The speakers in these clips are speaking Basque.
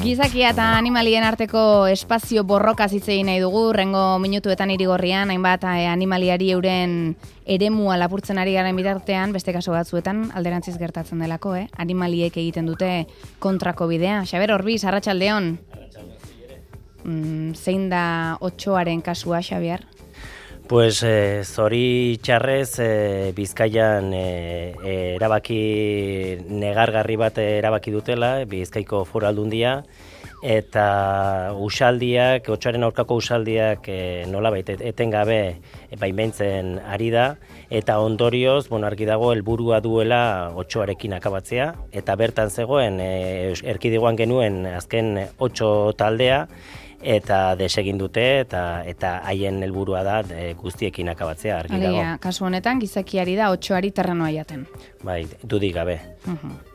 Gizakia eta animalien arteko espazio borroka hitz egin nahi dugu, rengo minutuetan Irigorrian, hainbat animaliari euren eremua lapurtzen ari garen bitartean, beste kasu batzuetan alderantziz gertatzen delako, animaliek egiten dute kontrako bidea. Xabier Orbiz, arratsaldeon. Zein da otsoaren kasua, Xabier? Pues zori txarrez Bizkaian erabaki negargarri bat erabaki dutela, Bizkaiko Foru Aldundia, eta usaldiak, otsoaren aurkako usaldiak nolabait etengabe baimentzen ari da, eta ondorioz, argi dago helburua duela otsoarekin akabatzea, eta bertan zegoen erkidegoan genuen azken 8 taldea, eta desegin dute eta haien helburua da guztiekin akabatzea, argi dago. Alegia, kasu honetan gizakiari da otsoari terrenoa jaten. Bai, dudik gabe.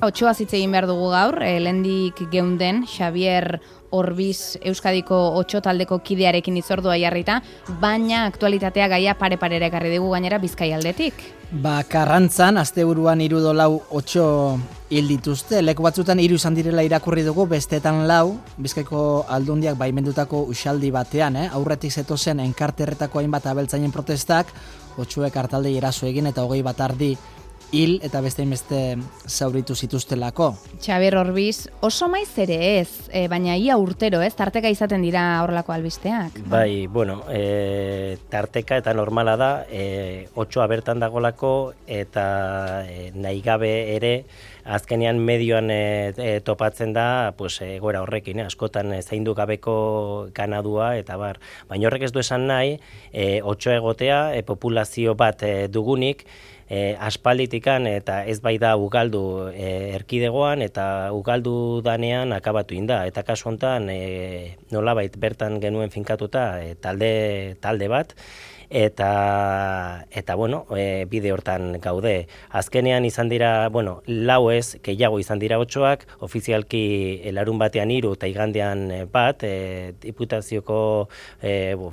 Otsoa hitz egin behar dugu gaur, lehendik geunden Xabier Orbiz Euskadiko otso taldeko kidearekin itzordua jarrita, baina aktualitatea gaia pare-parera ekarri dugu gainera Bizkaialdetik. Karrantzan, asteburuan 3-4 otso hil dituzte, leku batzutan 3 izan direla irakurri dugu, bestetan 4, Bizkaiko Aldundiak baimendutako usaldi batean, aurretik zetozen enkarterretako hainbat abeltzainen protestak, otsoek hartaldei eraso egin eta 20 bat ardi hil eta beste zauritu zituztelako. Xabier Orbiz, oso maiz ere ez, baina ia urtero, tarteka izaten dira horrelako albisteak. Bai, tarteka eta normala da, otsoa bertan dagolako eta nahi gabe ere, azkenean medioan topatzen da, egoera horrekin, askotan zaindu gabeko ganadua eta bar. Baina horrek ez du esan nahi, otso egotea, populazio bat dugunik, aspalditikan eta ez bai da ugaldu erkidegoan eta ugaldu danean akabatu inda. Eta kasu hontan nolabait bertan genuen finkatuta talde bat, eta bide hortan gaude. Azkenean izan dira, 4 ez, gehiago izan dira otsoak, ofizialki larun batean 3 eta igandean bat, Diputazioko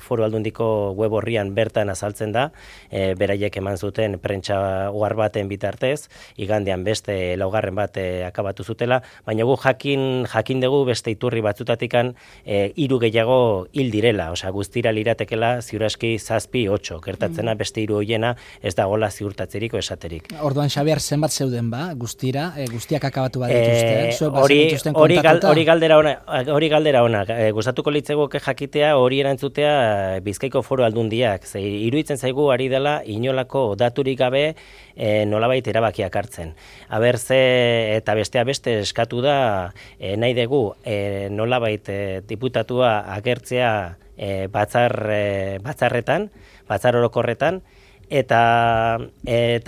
Foru Aldundiko web orrian bertan azaltzen da, beraiek eman zuten prentsa ohar baten bitartez, igandean beste 4 bat akabatu zutela, baina gu jakin dugu beste iturri batzutatikan 3 gehiago hil direla, guztira liratekela ziuraski 7-8, gertatzena beste 3 hoiena ez dagoela ziurtatzeriko esaterik. Orduan, Xabier, zenbat zeuden guztira, guztiak akabatu badituzte? Hori galdera ona, gustatuko litzegoke jakitea hori erantzutea Bizkaiko Foru Aldundiak, iruditzen zaigu ari dela inolako daturik gabe nolabait erabakiak hartzen. Aber eta bestea beste eskatu da nahi dugu nolabait diputatua agertzea batzar orokorretan, eta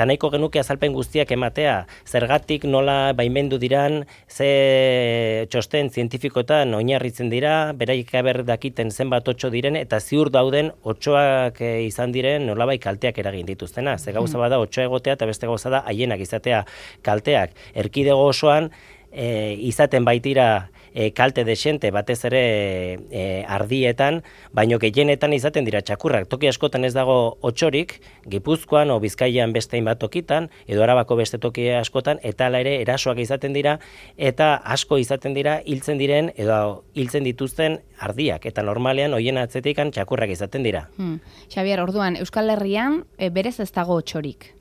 nahiko genuke azalpen guztiak ematea, zergatik nola baimendu diran, ze txosten zientifikoetan oinarritzen dira, beraik aber dakiten zenbat otso diren, eta ziur dauden otsoak izan diren nolabait kalteak eragin dituztena. Ze gauza bada otsoa egotea eta beste gauza da haienak izatea kalteak. Erkidego osoan izaten baitira kalte desente batez ere ardietan, baino gehienetan izaten dira txakurrak. Toki askotan ez dago otsorik, Gipuzkoan o Bizkaian beste hainbat tokitan, edo Arabako beste toki askotan, eta hala ere erasoak izaten dira, eta asko izaten dira hiltzen diren edo hiltzen dituzten ardiak, eta normalean hoien atzetikan txakurrak izaten dira. Xabier, orduan, Euskal Herrian berez ez dago otsorik.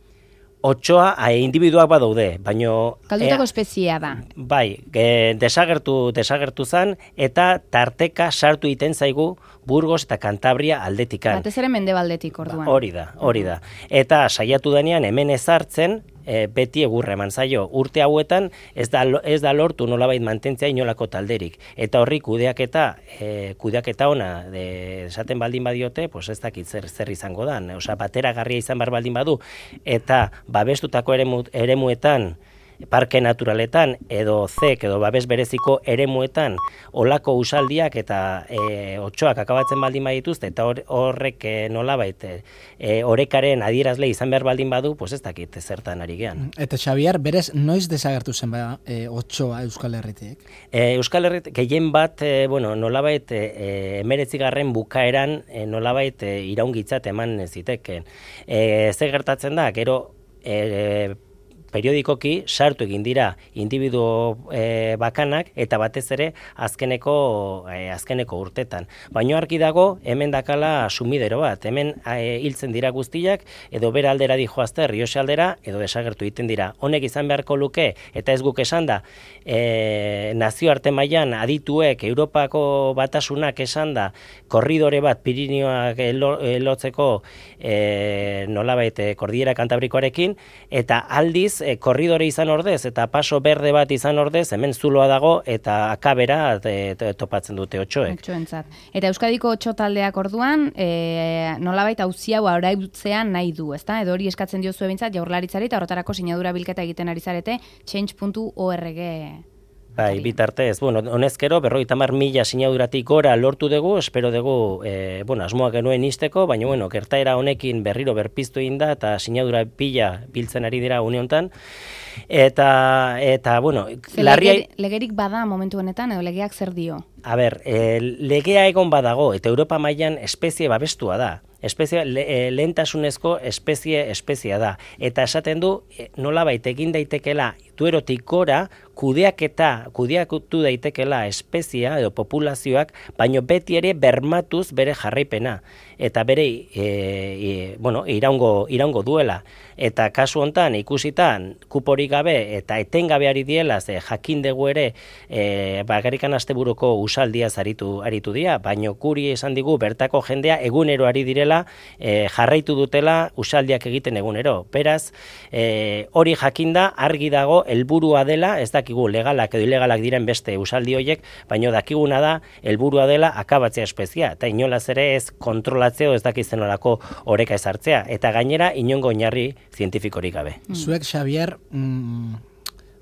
Otsoa individuak badaude, baino... Kaldutako espeziea da. Bai, desagertu zan, eta tarteka sartu iten zaigu Burgos eta Kantabria aldetikan. Batez ere mendebaldetik orduan. Hori da. Eta saiatu denean hemen ezartzen, beti egurra eman zaio. Urte hauetan ez da lortu nolabait mantentzea inolako talderik. Eta horri kudeaketa ona esaten baldin badiote, ez dakit zer izango da. Bateragarria izan bar baldin badu, eta babestutako eremuetan, parke naturaletan edo edo babes bereziko eremuetan olako usaldiak eta otsoak akabatzen baldin badituzte eta horrek nolabait orekaren adierazle izan behar baldin badu, ez dakit zertan ari gean. Eta Xabier, berez noiz desagertu zen otsoa Euskal Herritik? Euskal Herritik gehien bat, nolabait 19. bukaeran nolabait iraungitzat eman ziteken. Ze gertatzen da, gero periodikoki sartu egin dira individu bakanak eta batez ere azkeneko urtetan. Baino argi dago hemen dakala sumidero bat, hemen hiltzen dira guztiak edo bera aldera dijoazte Rioxe aldera edo desagertu egiten dira. Honek izan beharko luke eta ez guk esan da nazioarte mailan adituek Europako batasunak esan da korridore bat Pirinioak lotzeko nolabait Kordiera Kantabrikoarekin eta aldiz korridore izan ordez eta paso berde bat izan ordez hemen zuloa dago eta akabera topatzen dute otsoek. Otsoentzat. Eta Euskadiko otso taldeak orduan nolabait auzi hau arautzean nahi du, ezta? Edo hori eskatzen diozu behintzat Jaurlaritzari eta horretarako sinadura bilketa egiten ari zarete change.org. Bai, bitartez, honezkero 50.000 sinaduratik gora lortu dugu, espero dugu, asmoak genuen izteko, baina, gertaera honekin berriro berpiztu egin da, eta sinadura pila biltzen ari dira une honetan, eta legerik bada momentu honetan, edo legeak zer dio? A ber, legea egon badago, eta Europa mailan espezie babestua da. Lehentasunezko espeziea da. Eta esaten du, nolabait egin daitekela duerotik gora, kudeatu daitekela espeziea edo populazioak, baino beti ere bermatuz bere jarraipena. Eta bere, iraungo duela. Eta kasu hontan ikusitan, kuporik gabe eta etengabeari diela, ze jakin dugu ere, bakarrikan asteburuko usaldiaz aritu dira, baino guri esan digu bertako jendea egunero ari direla, jarraitu dutela usaldiak egiten egunero. Beraz, hori jakinda argi dago helburua dela, ez dakigu legalak edo ilegalak diren beste usaldi horiek, baino dakiguna da helburua dela akabatzea espezia, eta inolaz ere ez kontrolatzeo ez dakizen olako oreka ezartzea, eta gainera inongo oinarri zientifikorik gabe. Zuek, Xavier,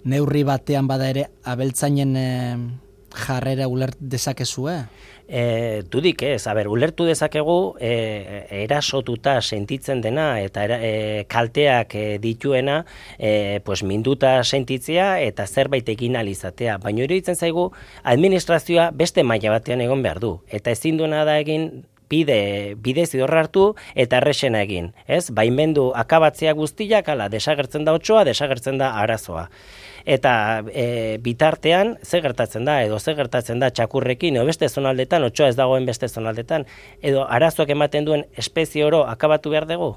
neurri batean bada ere abeltzainen jarrera ulert dezakezue? Dudik ez, ulertu dezakegu erasotuta sentitzen dena eta kalteak dituena minduta sentitzea eta zerbait egin alizatea. Baina iruditzen zaigu administrazioa beste maila batean egon behar du. Eta ezin duena da egin bide zidorra hartu eta errexena egin. Baimendu akabatzea guztiak, desagertzen da otsoa, desagertzen da arazoa. Eta bitartean, ze gertatzen da txakurrekin, edo beste zonaldetan, otsoa ez dagoen beste zonaldetan, edo arazoak ematen duen espezie oro akabatu behar dugu?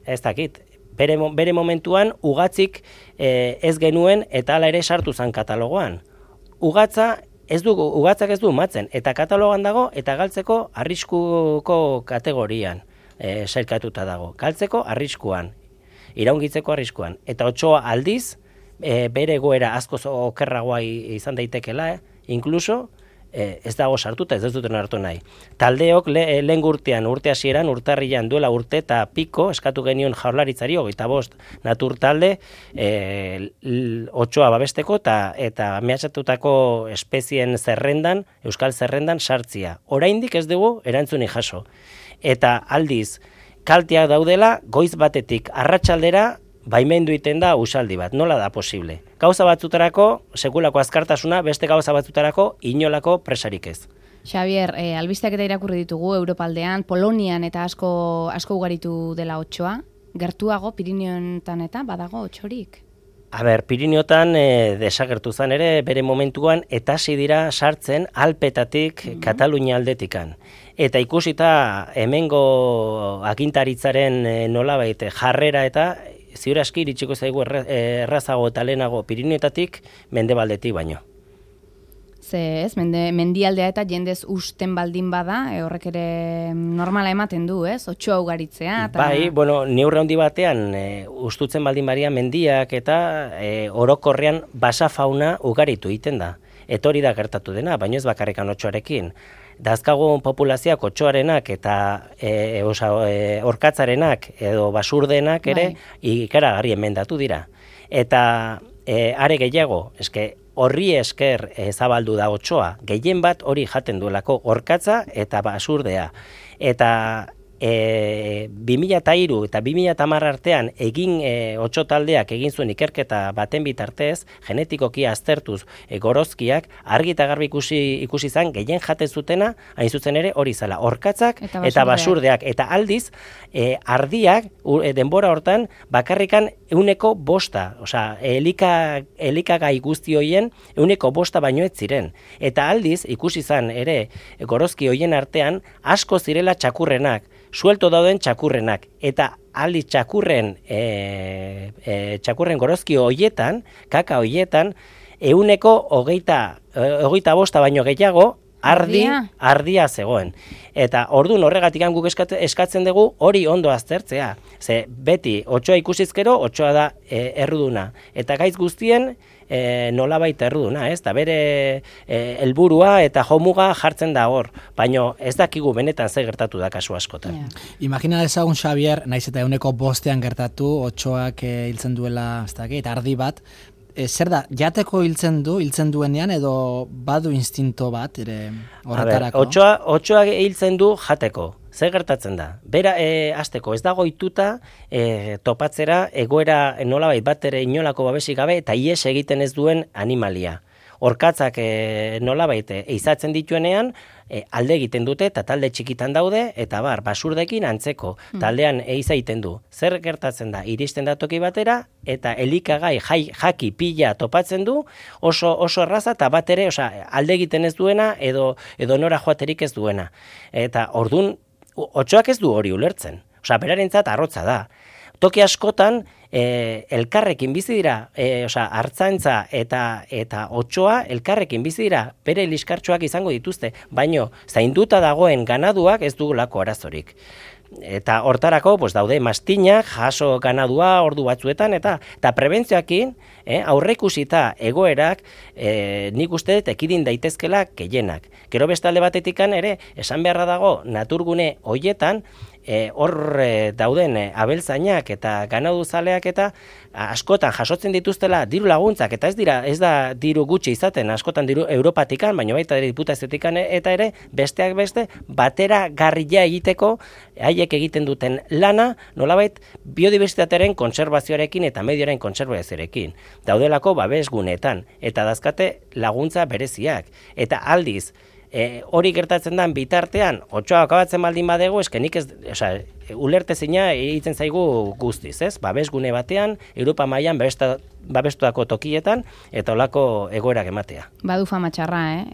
Ez dakit. Bere momentuan, ugatzik ez genuen eta hala ere sartu zen katalogoan. Ugatzak ez du matzen, eta katalogan dago, eta galtzeko arriskuko kategorian sailkatuta dago. Galtzeko arriskuan, iraungitzeko arriskuan. Eta otsoa aldiz, bere egoera asko okerragoa izan daitekela, inkluso, ez dago sartuta, ez duten hartu nahi. Taldeok lehen urte hasieran, urtarrian duela urte eta piko, eskatu genion Jaurlaritzari 25 natur talde, otsoa babesteko eta mehatxatutako espezien zerrendan, euskal zerrendan sartzia. Oraindik ez dugu erantzunik jaso. Eta aldiz, kalteak daudela, goiz batetik arratsaldera baimendu egiten da usaldi bat. Nola da posible? Gauza batzutarako, sekulako azkartasuna, beste gauza batzutarako, inolako presarik ez. Xavier, albisteak eta irakurri ditugu Europaldean, Polonian eta asko ugaritu dela otsoa. Gertuago, Pirinioetan eta badago otsorik? Piriniotan desagertu zen ere, bere momentuan, eta hasi dira sartzen Alpetatik Katalunia aldetikan. Eta ikusita hemengo agintaritzaren nolabait jarrera eta ziur aski iritsiko zaigu errazago eta lehenago Pirinioetatik mendebaldetik baino. Ze ez, mendialdea eta jendez usten baldin bada, horrek ere normala ematen du, ez? Otsoa ugaritzea. Bai, neurri handi batean ustutzen baldin baria mendiak eta orokorrean basa fauna ugaritu egiten da. Eta hori da gertatu dena, baino ez bakarrikan otsoarekin. Dazkagun populazioak otsoarenak eta orkatzarenak edo basurdenak ere ikaragarri emendatu dira. Eta are gehiago, horri esker zabaldu da otsoa, gehien bat hori jaten duelako orkatza eta basurdea. Eta 2003 eta 2010 artean egin 8 taldeak egin zuen ikerketa baten bitartez, genetikoki aztertuz gorozkiak, argi eta garbi ikusi izan gehien jaten zutena, hain zuzen ere hori zela, orkatzak eta basurdeak. Eta aldiz, ardiak denbora hortan bakarrikan 105, osea, elikagai guzti hoien 105 baino ez ziren. Eta aldiz, ikusi izan ere gorozki hoien artean asko zirela txakurrenak, suelto dauden txakurrenak, eta aldiz txakurren gorozki hoietan, kaka hoietan, 125 baino gehiago ardia zegoen. Eta orduan horregatik guk eskatzen dugu hori ondo aztertzea. Ze beti, otsoa ikusizkero, otsoa da erruduna. Eta gaitz guztien nolabait erruduna, ez? Da bere helburua eta jomuga jartzen da hor. Baina ez dakigu benetan ze gertatu da kasu askotan. Yeah. Imagina dezagun, Xabier, naiz eta 105 gertatu, otsoak hiltzen duela, ez dakit, ardi bat, zer da, jateko hiltzen duenean edo badu instinto bat ere horretarako? Otsoa hiltzen du jateko. Zer gertatzen da? Bera, hasteko ez dago ituta topatzera egoera nolabait bat ere inolako babesik gabe eta ihes egiten ez duen animalia. Orkatzak nolabait eizatzen dituenean, alde egiten dute eta talde txikitan daude, eta basurdekin antzeko, taldean eiza egiten du. Zer gertatzen da? Iristen da toki batera, eta elikagai jaki pila topatzen du, oso erraza, eta bat ere, alde egiten ez duena, edo nora joaterik ez duena. Eta ordun otsoak ez du hori ulertzen. Berarentzat arrotza da. Toki askotan, elkarrekin bizi dira, hartzaintza eta otsoa elkarrekin bizi dira, bere liskartxoak izango dituzte, baino zainduta dagoen ganaduak ez dugulako arazorik. Eta hortarako daude mastinak, jaso ganadua ordu batzuetan, eta prebentzioakin aurreikusita egoerak nik uste dut ekidin daitezkela gehienak. Gero beste alde batetikan ere, esan beharra dago naturgune hoietan, hor dauden abeltzainak eta ganaduzaleak eta askotan jasotzen dituztela diru laguntzak, eta ez da diru gutxi izaten, askotan diru Europatikan, baina baita diputaziotikan eta ere besteak beste batera garria egiteko haiek egiten duten lana, nolabait biodibertsitatearen kontserbazioarekin eta medioaren kontserbazioarekin. Daudelako babesguneetan, eta dazkate laguntza bereziak. Eta aldiz, hori gertatzen den bitartean, otsoa akabatzen baldin badego, eskenik ez, ulertezina egiten zaigu guztiz, ez? Babesgune batean, Europa mailan babestuako tokietan, eta olako egoerak ematea. Badu fama txarra,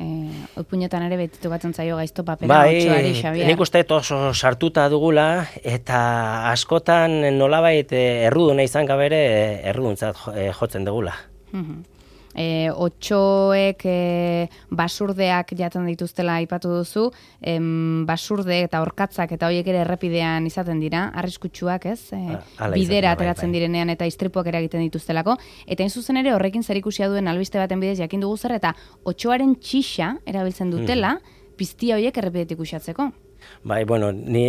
Oipuñetan ere betitu batzen zaio gaizto papera otsoari, Xabier. Nik uste oso sartuta dugula, eta askotan nolabait erruduna izan gabere erruduntzat jotzen dugula. Otsoek basurdeak jaten dituztela aipatu duzu, basurde eta orkatzak eta horiek ere errepidean izaten dira, arriskutsuak, ez? Bidera ateratzen direnean eta istripuak ere egiten dituztelako, eta hain zuzen ere horrekin zerikusia duen albiste baten bidez jakin dugu zer, eta otsoaren txixa erabiltzen dutela, piztia horiek errepidetik uxatzeko. Bai, ni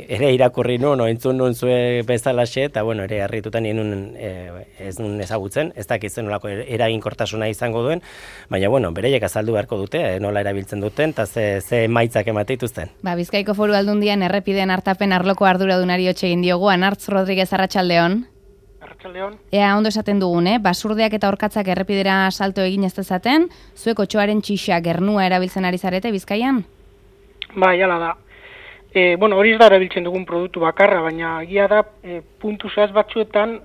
ere irakurri entzun nun zue bezalaxe, eta ere harrituta nien ez nun ezagutzen, ez dakitzen nolako eraginkortasuna izango duen, baina bereiek azaldu beharko dute, nola erabiltzen duten, eta ze maitzak emate dituzten. Bizkaiko Foru Aldundian errepideen hartapen arloko arduradunari hotxe egin diogu, Anartz Rodriguez, arratsaldeon. Arratsaldeon. Ea ondo esaten dugun, basurdeak eta orkatzak errepidera salto egin ez dezaten, zuek otsoaren txixa gernua erabiltzen ari zarete Bizkaian? Bai, hala da. Hori ez da erabiltzen dugun produktu bakarra, baina egia da puntu zehaz batzuetan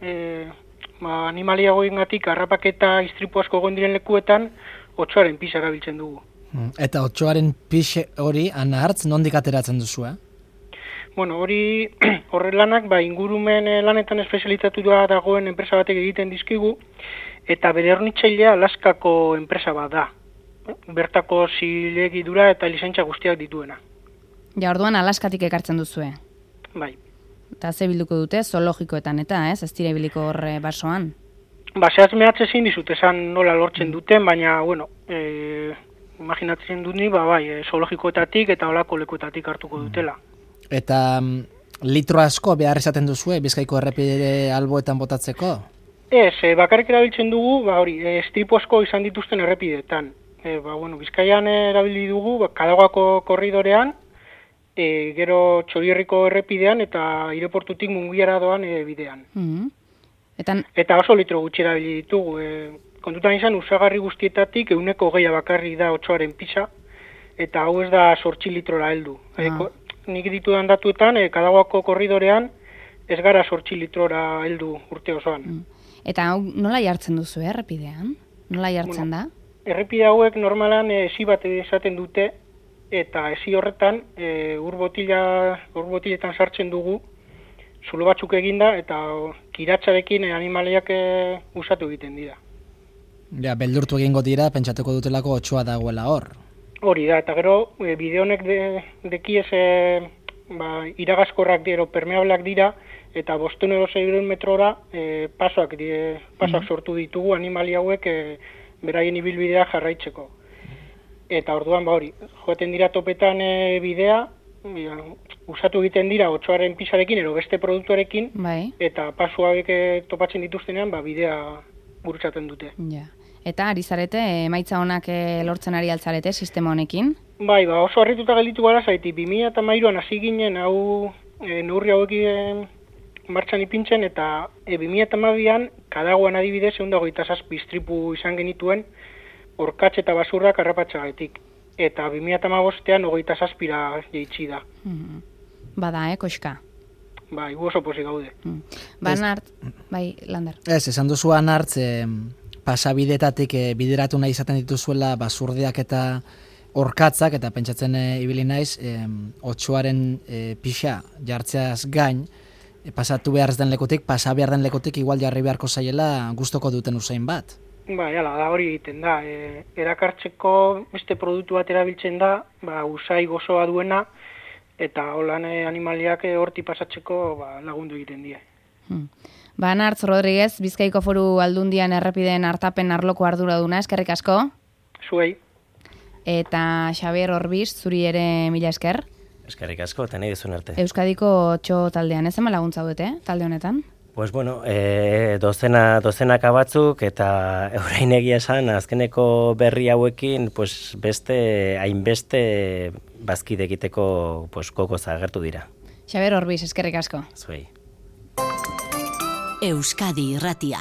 animaliagoengatik harrapaketa istripu asko egon diren lekuetan otsoaren pixa erabiltzen dugu. Eta otsoaren pixe hori, Anartz, nondik ateratzen duzu, Hori horrelanak ingurumen lanetan espezializatua dagoen enpresa batek egiten dizkigu, eta bere hornitzailea Alaskako enpresa bat da. Bertako zilegidura eta lizentza guztiak dituena. Ja, orduan Alaskatik ekartzen duzue. Bai. Eta ze bilduko dute, zoologikoetan eta, ez dira ibiliko horre basoan? Zehaz mehatze ezin dizut, esan nola lortzen duten, baina, imaginatzen dut ni, zoologikoetatik eta olako lekuetatik hartuko dutela. Eta litro asko behar izaten duzue, Bizkaiko errepide alboetan botatzeko? Ez, bakarrik erabiltzen dugu, istripu asko izan dituzten errepideetan. Bizkaian erabili dugu, Kadagako korridorean, gero Txorierriko errepidean eta aireportutik Mungiara doan bidean. Eta oso litro gutxi erabili ditugu. Kontutan izan, usagarri guztietatik 20% bakarri da otsoaren pisa, eta hau ez da 8 litrora heldu. Nik ditudan datuetan, Kadaguako korridorean, ez gara 8 litrora heldu urte osoan. Eta hau nola jartzen duzu, errepidean? Nola jartzen da? Errepide hauek normalan esi bat esaten dute, eta esi horretan ur-botiletan sartzen dugu, zulo batzuk eginda, eta kiratsarekin animaliak usatu egiten dira. Ja, beldurtu egingo dira, pentsatuko dutelako otsoa dagoela hor. Hori da, eta gero, bide honek dekiez iragazkorrak dira, permeablak dira, eta 500 metrora pasoak sortu ditugu animali hauek beraien ibilbidea jarraitzeko. Eta orduan, hori, joaten dira topetan bidea, usatu egiten dira otsoaren pisarekin, ero beste produktuarekin, eta pasu hauek topatzen dituztenean, bidea gurutzaten dute. Ja. Eta ari zarete, emaitza honak lortzen ari altzarete sistema honekin? Bai, oso harrituta gelditu gara zaiti, 2013an hasi ginen hau neurri hauekin martxan ipintzen, eta 2012an Kadaguan adibidez 127 istripu izan genituen orkatz eta basurrak harrapatxagatik. Eta 2015an 27ra jeitsi da. Bada, koxka. Bai, oso pozik gaude. Banart, bai, Lander. Ez, esan duzu Anartz, pasabidetatik bideratu nahi izaten dituzuela basurdeak eta orkatzak, eta pentsatzen ibili naiz, otsoaren pixa jartzeaz gain, pasatu behar den lekutik, pasa behar den lekutik igual jarri beharko zaiela gustoko duten usain bat. Bai, da hori egiten da. Erakartzeko beste produktu bat erabiltzen da, usai gozoa duena, eta holan animaliak horti pasatzeko lagundu egiten die. Banartz Rodriguez, Bizkaiko Foru Aldundian errepideen artapen arloko arduraduna, eskerrik asko. Zuei. Eta Xabier Orbiz, zuri ere mila esker. Eskerrik asko, eta nahi duzun arte. Euskadiko txo taldean, ez ema laguntza dute, talde honetan? Pues bueno, dozenaka batzuk, eta orain egia esan, azkeneko berri hauekin, pues hainbeste bazkide egiteko gogoz agertu dira. Xabier Orbiz, eskerrik asko. Zuei. Euskadi Irratia.